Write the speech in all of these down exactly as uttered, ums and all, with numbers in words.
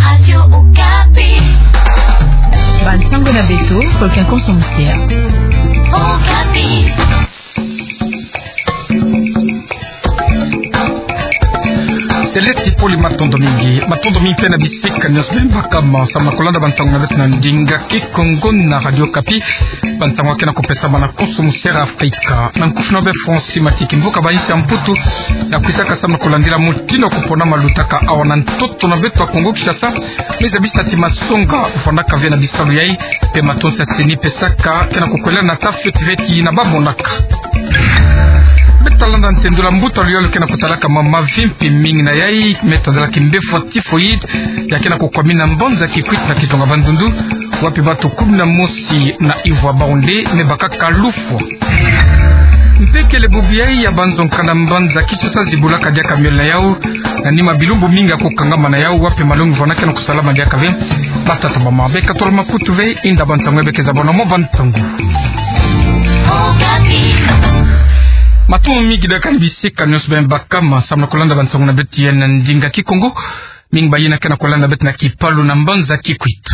Radio Okapi. Bansango na beto, Volcan Konso Musia. Okapi. Seleti Poli, matondo mingi. Matondo mingi mpe na bisika nyonso beno bakama samu na kolanda bansango na beto na ndinga Kikongo na Radio Okapi. Bansango ya ke na kopesama na Konso Musia Afrika. Na nkufi na beno Francis Matiki. Mvuka ba insi ya Mputu ya kwisaka samu na kolandila mutindu ya kupona malutaka awa na ntoto na beto ya Kongo Kinshasa. Me zabisa ti masonga vwandaka ve na bisalu yai, mpe matonsi ya CENI pesaka ke na kukwelana na ta fioti ve ti na ba monaka. Beta landa ntendula mbuta luyalu ke na kutalaka mama vimpi mingi na yai, me tadala kimbefwa typhoïde, ya ke na kukwamina mbanza Kikwit na kizunga Bandundu, wapi batu kumi na mosi na ivo ya bau nde me bakaka lufwa. Mpe kele bubu yai ya banzonka na mbanza Kinshasa zibulaka diaka miole na yau, na nima bilumbu mingi ya kukangama na yau, wapi malongi vwandaka ke na kusalama diaka ve. Batata, bamama, beka tolo makutu ve, inda bansango ya beka zabona mo bantangu. Matondo mingi diaka na bisika nyonso beno bakama samu na kolanda bansango na beto ya na ndinga Kikongo. Mingi bayina ke na kolanda beto na kipalu na mbanza Kikwit.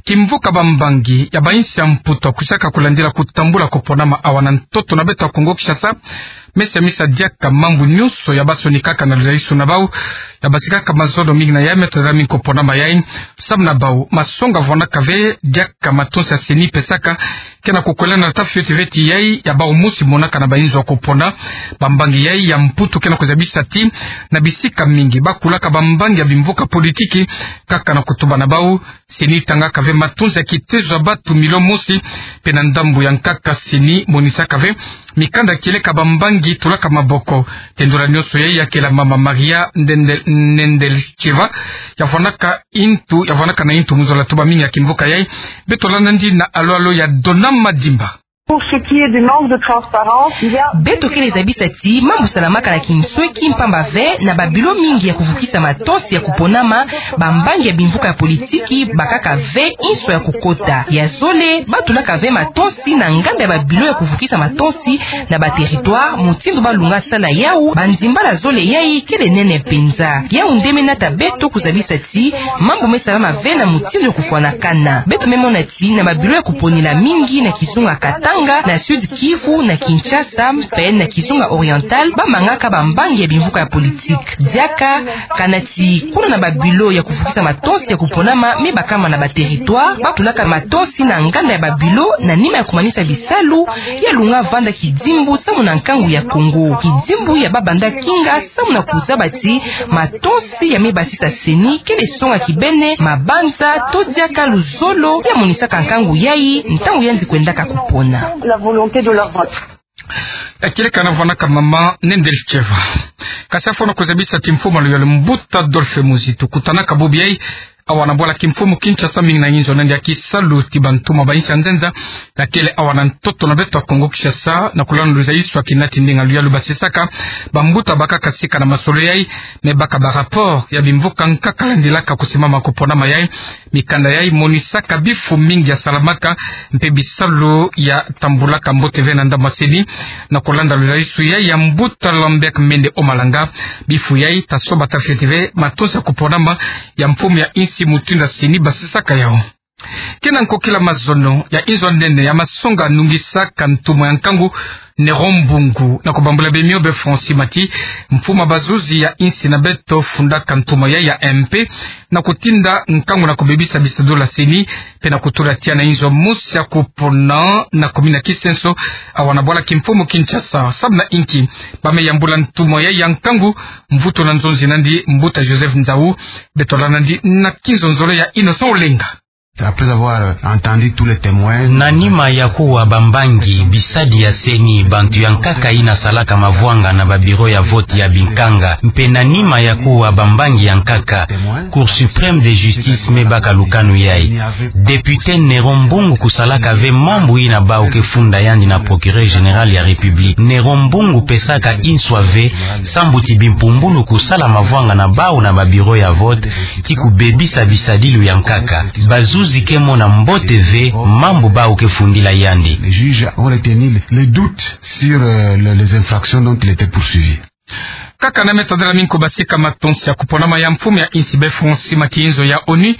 Kimvuka bambangi ya ba insi ya Mputu ya kwisaka kulandila kutambula kuponama awa na ntoto na beto ya Kongo Kinshasa, me semisa diaka mambu nyonso ya basonikaka na luzalisu na bau, ya basikaka mazono mingi na yai me tadala mingi kuponama yai. Samu na bau, masonga vwandaka ve diaka matonsi ya CENI pesaka ke na kukwelana na ta fioti ve ti yai ya bau mosi monaka na ba inzo ya kupona. Bambangi yai ya Mputu ke na kuzabisa ti na bisika mingi bakulaka bambangi ya bimvuka politiki kaka na kutuba na bau. CENI tangaka ve matonsi ya kitezo ya batu milio mosi, mpe na ndambu ya nkaka CENI monisaka ve mikanda kieleka bambangi tulaka maboko. Tendula nyonso yai ya kela mama Maria Ndendel-, Nendelcheva, ya vwandaka intu, ya vwandaka na intu mu zola tuba mingi ya kimvuka yai. Beto landa ndi na alo-alo ya Dona Madimba. Pour ce qui est du manque de transparence, il y a... Beto kele zabisa ti mambu salamaka na kinsweki, mpamba ve na ba bilo mingi ya kuvukisa matonsi ya kuponama, bambangi ya bimvuka ya politiki bakaka ve inso ya kukota. Ya zole, batulaka ve matonsi na nganda ya ba bilo ya kuvukisa matonsi na ba territoire, mutindu balunga sala yau. Banzimbala zole yai kele nene mpenza. Yau nde me nata beto kuzabisa ti mambu me salama ve na mutindu ya kufwanakana. Beto me mona ti na ba bilo ya kuponila mingi na kizunga Katanga, na Sud Kivu, na Kinshasa, mpe na kizunga Oriental, bamangaka bambangi ya bimvuka ya politique. Diaka, kana ti kuna na ba bilo ya kuvukisa matonsi ya kuponama me bakama na ba territoire, batulaka matonsi na nganda ya ba bilo na nima ya kumanisa bisalu, ya lunga vanda kidimbu samu na nkangu ya Kongo. Kidimbu ya babanda kinga samu na kuzaba ti matonsi ya me basisa CENI kele songa kibene, mabanza, to diaka luzolo ya monisaka nkangu yai, ntangu yandi kwendaka kupona. La volonté de leur vote. Ya kieleka na vwandaka mama Nendelcheva. Kasi afwana kuzabisa ti mfumu ya luyalu mbuta Adolphe Muzitu kutanaka bubu yai awa na bwala kimfumu Kinshasa mingi na inzo na ndia kisalu ti bantumwa ba insi ya nzenza, ya kele awa na ntoto na beto ya Kongo Kinshasa, na kulanda luzalisu ya kina ti ndinga luyalu basisaka bambuta bakaka sika na masolo yai, me baka ba rapport ya bimvuka nkaka landilaka kusimama kuponama yai. Mikanda yai monisaka bifu mingi ya salamaka, mpe bisalu ya tambulaka mbote ve na ndambu ya CENI. Na kulanda luzalisu yai ya mbuta Lambert Mende Omalanga, bifu yai ta soba ta fioti ve matonsi ya kuponama ya mfumu ya insi mutindu ya CENI basisaka yau. Kena nkokila mazono ya inzo nene ya masonga nungisaka ntumwa ya nkangu Néron Mbungu, na kubambula bemio be Francis Mati, mfumu ya bazuzi ya insi na beto fundaka ntumwa yai ya MP, na kutinda nkangu na kubebisa bisadulu ya CENI, mpe na kutula tiya na inzo mosi ya kupona na commune ya Kisenso, awa na bwala kimfumu Kinshasa. Samu na inki ba me yambula ntumwa yai ya nkangu? Mvutu na nzonzi nandi mbuta Joseph Nzau. Beto landa ndi na kinzonzolo ya Innocent Olenga. Après avoir entendu tous les témoins, na nima ya kuwa bambangi, bisadi ya CENI, bantu ya nkaka ina salaka mavwanga na ba bureau ya vote ya binkanga, mpe na nima ya kuwa bambangi ya nkaka, Cour suprême de justice me baka lukanu yai. Député Néron Mbungu kusalaka ve mambu ina bau ke funda yandi na procureur général ya République. Néron Mbungu pesaka inswa ve sambu ti bimpumbulu kusala mavwanga na bau na ba bureau ya vote, ti kubebisa bisadilu ya nkaka. Bazuzi ke mona mbote ve mambu bau ke fundila yandi. Les juges ont retenu le doute sur, euh, le, les infractions dont il était poursuivi. Kaka na me tadela mingi kubasika matonsi ya kuponama ya mfumu ya insi bê Francis Maki, inzo ya ONU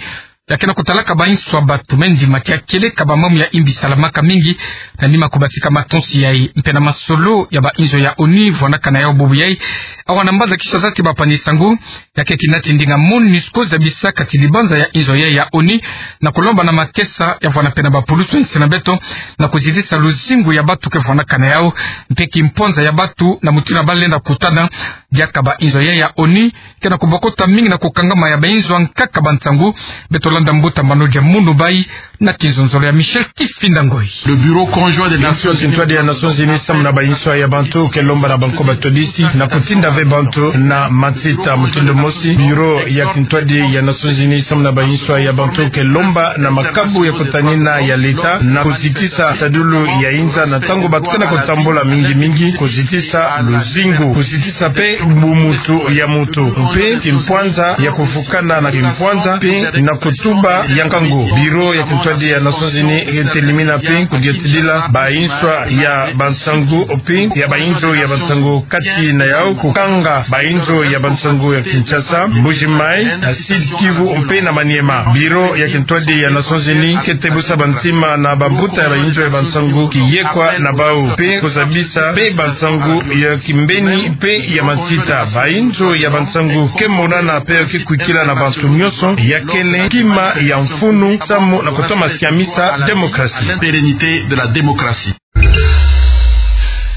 ya ke na kutalaka bainso ya batu, me ndima kia kele ka ba mambu ya imbi salamaka mingi na nima kubasika matonsi yayi. Mpe na masolo ya bainzo ya ONU vwandaka na yau bubu yayi awa na mbanza Kinshasa ti bapangi-nsangu, ya ke kinati ndinga MONUSCO zabisaka ti libanza ya inzo yayi ya ONU na kulomba na makesa ya vwanda mpe na bapulusu ya insi na beto na kuzitisa luzingu ya batu ke vwandaka na yau, mpe kimpwanza ya batu na mutindu ya balendi kutana. Diaka bainzo yayi ya ONU ke na kubokota mingi na kukangama ya bainzo ya nkaka bansangu. Beto landa mbuta Manodia Munubai na kinzonzolo ya Michel Kifinda Ngoyi. Le Bureau Conjoint des Nations Unies. Bureau ya Kintwadi ya Nations Unies samu na bainso ya bantu ke lomba na banko batodisi na kutinda ve bantu na matsita mutindu mosi. Bureau ya Kintwadi ya Nations Unies samu na bainso ya bantu ke lomba na makabu ya kutanina ya leta na kuzitisa tadulu ya inza na ntangu batu ke na kutambula mingi mingi, kuzitisa luzingu, kuzitisa mpe bumuntu ya muntu, mpe kimpwanza ya kuvukana na kimpwanza, mpe na kutuba ya nkangu. Bureau ya Kintwadi ya Nations Unies ke telimina mpe kudiatidila bainso ya bansangu, mpe ya bainzo ya bansangu, kati na yau kukanga bainzo ya bansangu ya Kinshasa, Mbuji-Mayi, na Sud-Kivu mpe na Maniema. Bureau ya Kintwadi ya Nations Unies ke tebusa bantima na bambuta ya bainzo ya bansangu kiyekwa na bau, mpe kuzabisa mpe bansangu ya kimbeni mpe ya matsita. Bainzo ya bansangu ke monana mpe ke kwikila na bantu nyonso ya kele kima ya mfunu samu na kutoma siamisa démocratie. La pérennité de la démocratie.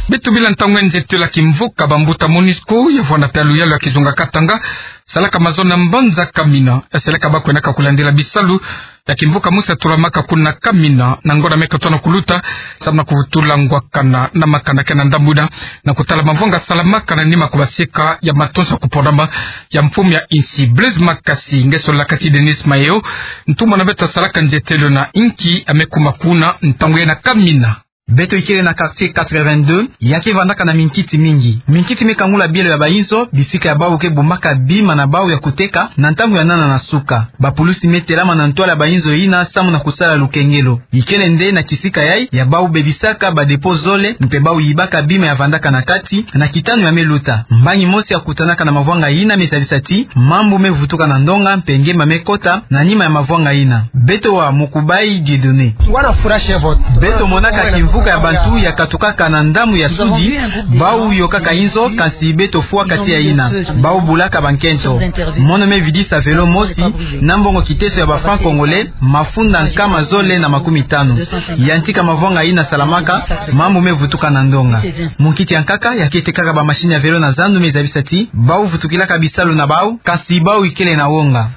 Beto bila ntangu ya nzietelo ya kimvuka bambuta MONUSCO ya vwanda mpe ya luyalu ya kizunga Katanga salaka mazono na mbanza Kamina. Eseleka ba kwenaka kulandila bisalu ya kimvuka mosi ya tulamaka kuna Kamina na ngonda me katoto na kuluta, samu na kuvutula ngwakana na makanda ke na ndambu ina, na kutala mavwanga salamaka na nima kubasika ya matonsi ya kuponama ya mfumu ya insi. Blaise Makasi nge solaka ti Denis Mayo, ntumwa na beto asalaka nzietelo na inki, ame kuma kuna ntangu yayi na Kamina. Beto ikele na quartier quatre-vingt-deux, ya ke vandaka na minkiti mingi. Minkiti me kangula bielo ya bainzo, bisika ya bau ke bumbaka bima na bau ya kuteka na ntangu ya nana na suka. Bapulusi me telama na ntwala ya bainzo ina samu na kusala lukengelo. Ikele nde na kisika yayi ya bau bebisaka ba dépôt zole, mpe bau yibaka bima ya vandaka na kati na kitanu ya me luta. Mbangi mosi ya kutanaka na mavwanga ina me zabisa ti mambu me vutuka na ndonga, mpe ngemba me kota na nima ya mavwanga ina. Beto wa Mukubayi Dieudonné. Beto monaka kimvuka ya bantu ya katukaka na ndambu ya sudi, bau yokaka inzo, kansi beto fwaka tiya ina. Bau bulaka bankento. Mono me vidisa vélo mosi, na mbongo kiteso ya ba francs congolais mafunda nkama zole na makumi tanu. Yantika mavwanga ina salamaka, mambu me vutuka na ndonga. Munkiti ya nkaka ya ke tekaka ba machine ya vélo na zandu me zabisa ti bau vutukilaka bisalu na bau, kansi bau ikele na wonga.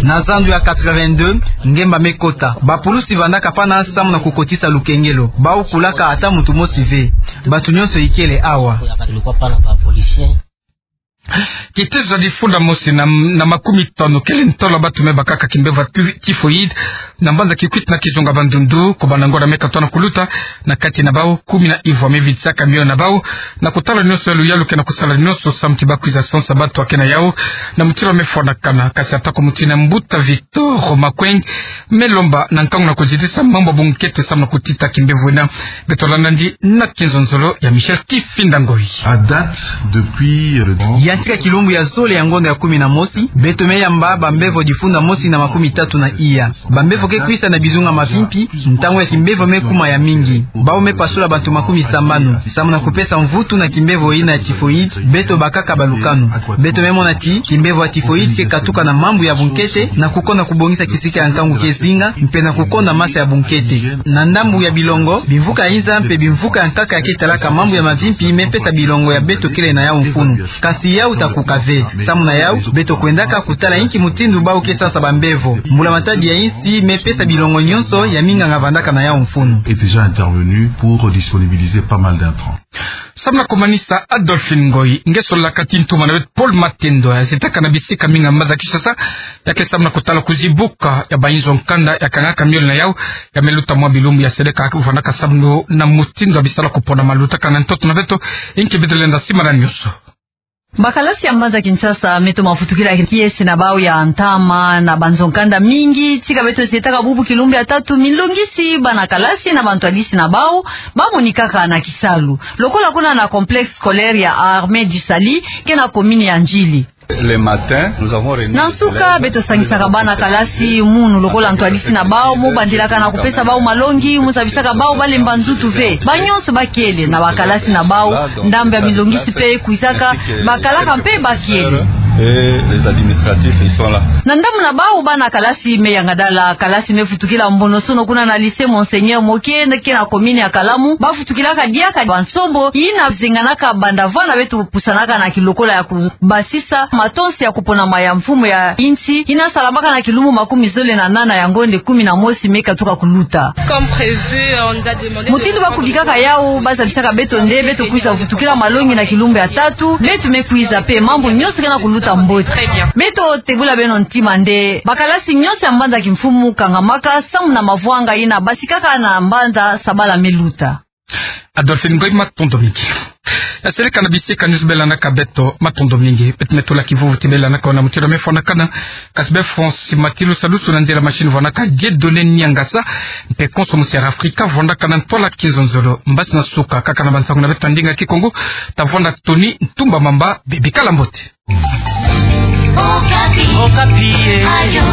Na zandu ya quatre-vingt-deux, ngemba me kota. Bapulusi vandaka pana samu na kukotisa lukengelo. Bau kulaka ata muntu mosi ve. Bantu nyonso ikele awa. Kitezo ya difunda mosi na, na makumi tanu kele ntolo ya bantu me bakaka kimbevo ya tu-, typhoïde na mbanza Kikwit na kizunga Bandundu, kobanda ngonda me katoto na kuluta, na kati na bau kumi na ivwa me vidisaka miona na bau na kutala nyonso ya luyalu ke na kusala nyonso samu ti ba kwiza sansa bantu ya ke na yau na mutindu me fwanakana. Kansi atako mutindu, mbuta Victor Makweng me lomba na nkangu na kuzitisa mambu ya bunkete samu na kutita kimbevo ina. Beto landa ndi na kinzonzolo ya Michel Kifinda Ngoyi. À date, depuis, euh, le... Yantika kilumbu ya zole ya ngonda ya kumi na mosi, beto me yamba bambevo difunda mosi na makumi tatu na iya. Bambevo ke kwisa na bizunga mavimpi, ntangu ya kimbevo me kuma ya mingi. Bau me pasula bantu makumi sambanu. Samu na kupesa mvutu na kimbevo ina ya typhoïde, beto bakaka balukanu. Beto me mona ti kimbevo ya typhoïde ke katuka na mambu ya bunkete, na kukonda kubongisa kisika ya nkangu ke zinga, mpe na kukonda masa ya bunkete. Na ndambu ya bilongo, bimvuka ya inza mpe bimvuka ya nkaka ya ke talaka mambu ya mavimpi me pesa bilongo ya beto kele na yau mfunu. Kansi yau ta kuka ve. Samu na yau, beto kwendaka kutala inki mutindu bau ke sansa bambevo. Mbula Matadi ya insi me pesa bilongo nyonso ya minganga vandaka na yau mfunu. Est déjà intervenu pour disponibiliser pas mal d'intrants. Samu na kumanisa, Adolphine Ngoyi, nge solaka ti ntumwa na beto Paul Matendo, ya zitaka na bisika mingi ya mbanza Kinshasa, ya ke samu na kutala kuzibuka ya bainzo ya nkanda ya kangaka miole na yau, ya me luta mwa bilumbu ya seleka vandaka samu na mutindu ya bisalu ya kupona maluta kana ntoto na beto, inki beto lenda simana nyonso. Bakalasi ya mbanza Kinshasa me toma vutukila kiese na bau ya ntama na banzo-nkanda mingi. Tika beto zietaka bubu kilumbu ya tatu, minlongisi, bana kalasi na bantwadisi na bau bamonikaka na kisalu lokola kuna na complexe scolaire ya Armée du Salut, ke na commune ya Ndjili. Le matin, nous avons réuni... Na nsuka, beto sangisaka bana kalasi munu lokola ntwadisi na bau, mu bandilaka na kupesa bau malongi, mu zabisaka bau balemba nzutu ve. Banyonso bakele na bakalasi na bau. Ndambu ya minlongisi pe kwizaka, bakalaka mpe bakele. Et les administratifs, ils sont là. Na ndambu na bau, bana kalasi me yangadala, kalasi me vutukila mbonosono kuna na lycée Monseigneur Moke, ke na commune ya Kalamu. Bavutukilaka diaka bansombo yina zenganaka banda vana beto pusanaka na kilokola ya kubasisa matonsi ya kuponama ya mfumu ya insi, yina salamaka na kilumbu makumi zole na nana ya ngonde kumi na mosi me katuka kuluta. Comme prévu, on nous a demandé de... Mutindu bakubikaka yawu, bazabisaka beto nde beto kwiza vutukila malongi na kilumbu ya tatu. Beto me kwiza mpe, mambu nyonso ke na kuluta mbote. Très bien. Beto tebula beno ntima nde bakalasi nyonso ya mbanza kimfumu kangamaka samu na mavwanga yina basikaka na mbanza sabala me luta. Adolphine Ngoy, matondo mingi. Ya seleka na bisika nyonso belanaka beto, matondo mingi. Beto me tula kivuvu ti belanaka na mutindu mefwanakana. Kasi befo nsi matilu salusu na nzila machine vwanaka Dieudonné Niangasa, mpe konso musi ya Afrika vwandaka na ntwala kinzonzolo. Mbasi na suka kaka na bansangu na beto ya ndinga Kikongo, tavwanda toni ntumba mamba, bikala mbote. Okapi. Okapi, eh. Ayo.